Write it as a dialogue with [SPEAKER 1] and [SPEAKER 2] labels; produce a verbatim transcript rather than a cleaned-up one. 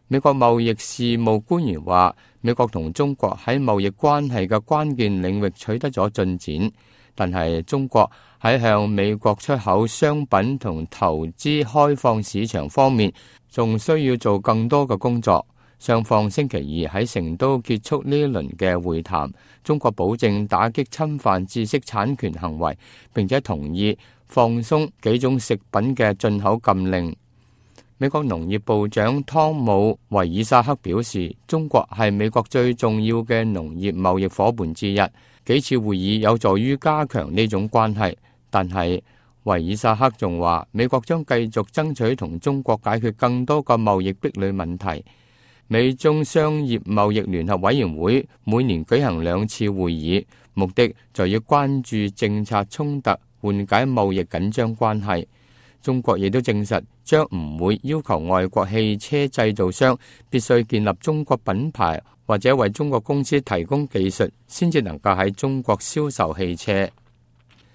[SPEAKER 1] 美國貿易事務官員話，美國同中國喺貿易關係嘅關鍵領域取得咗進展，但係中國喺向美國出口商品同投資開放市場方面，仲需要做更多嘅工作。雙方星期二喺成都結束呢一輪嘅會談，中國保證打擊侵犯知識產權行為，並且同意放鬆幾種食品嘅進口禁令。美國農業部長湯姆維爾薩克表示，中國係美國最重要嘅農業貿易夥伴之一，幾次會議有助於加強呢種關係。但係維爾薩克仲話，美國將繼續爭取同中國解決更多個貿易壁壘問題。美中商業貿易聯合委員會每年舉行兩次會議，目的就要關注政策衝突，緩解貿易緊張關係。中國亦都證實將唔會要求外國汽車製造商必須建立中國品牌，或者為中國公司提供技術，先至能夠喺中國銷售汽車。